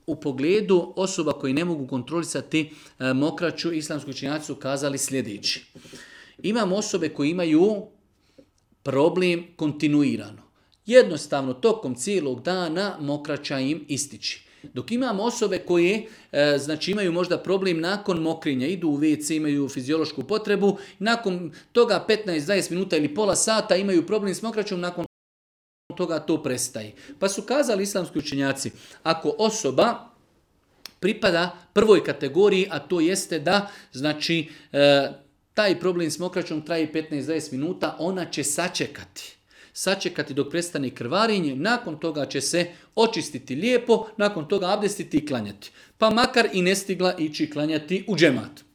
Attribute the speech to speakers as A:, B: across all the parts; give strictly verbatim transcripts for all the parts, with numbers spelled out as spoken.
A: u pogledu osoba koji ne mogu kontrolisati e, mokraću, islamski učenjaci su kazali sljedeći. Imamo osobe koji imaju problem kontinuirano. Jednostavno, tokom cijelog dana mokraća im ističi. Dok imamo osobe koje e, znači imaju možda problem nakon mokrenja, idu u ve ce, imaju fiziološku potrebu, nakon toga petnaest do dvadeset minuta ili pola sata imaju problem s mokraćom, nakon toga to prestaje. Pa su kazali islamski učenjaci, ako osoba pripada prvoj kategoriji, a to jeste da znači e, taj problem s mokraćom traje petnaest do dvadeset minuta, ona će sačekati. Sačekati dok prestane krvarenje, nakon toga će se očistiti lijepo, nakon toga abdestiti i klanjati. Pa makar i ne stigla ići klanjati u džemat.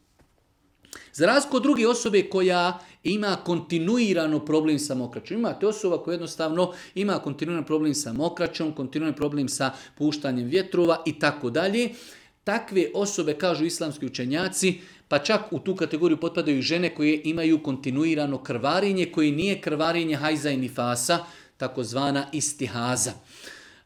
A: Za razliku od druge osobe koja ima kontinuirano problem sa mokraćom. Imate osoba koja jednostavno ima kontinuirano problem sa mokraćom, kontinuirano problem sa puštanjem vjetrova i tako dalje. Takve osobe, kažu islamski učenjaci, pa čak u tu kategoriju potpadaju i žene koje imaju kontinuirano krvarenje, koje nije krvarenje hajza i nifasa, takozvana istihaza.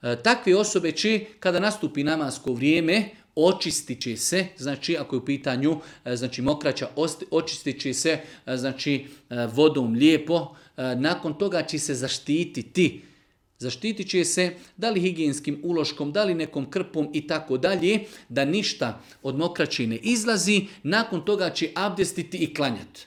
A: E, takve osobe će, kada nastupi namasko vrijeme, očistit će se, znači ako je u pitanju znači mokraća, očistit će se znači vodom lijepo, nakon toga će se zaštititi. Zaštitit će se da li higijenskim uloškom, da li nekom krpom i tako dalje, da ništa od mokraće ne izlazi, nakon toga će abdestiti i klanjati.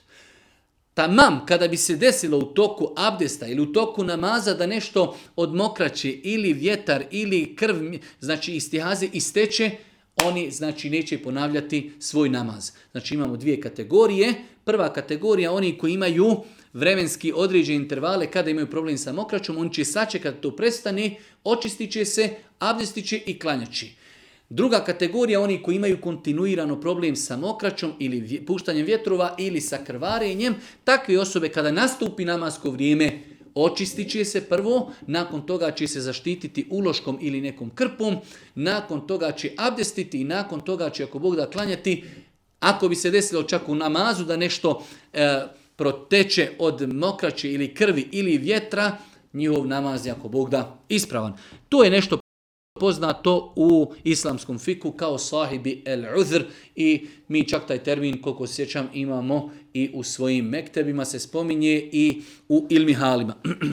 A: Tamam, kada bi se desilo u toku abdesta ili u toku namaza da nešto od mokraće ili vjetar ili krv, znači istihaze isteče, oni znači neće ponavljati svoj namaz. Znači imamo dvije kategorije. Prva kategorija, oni koji imaju vremenski određene intervale kada imaju problem sa mokraćom, oni će sačekati to prestane, očistit će se, abdestit će i klanjaći. Druga kategorija, oni koji imaju kontinuirano problem sa mokraćom ili puštanjem vjetrova ili sa krvarenjem, takve osobe kada nastupi namasko vrijeme, očistit će se prvo, nakon toga će se zaštititi uloškom ili nekom krpom, nakon toga će abdestiti i nakon toga će, ako Bog da, klanjati. Ako bi se desilo čak u namazu da nešto e, proteče od mokraće ili krvi ili vjetra, njihov namaz je, ako Bog da, ispravan. To je nešto poznato u islamskom fiku kao sahibi el-uzr i mi čak taj termin, koliko se sjećam, imamo i u svojim mektebima, se spominje i u ilmihalima.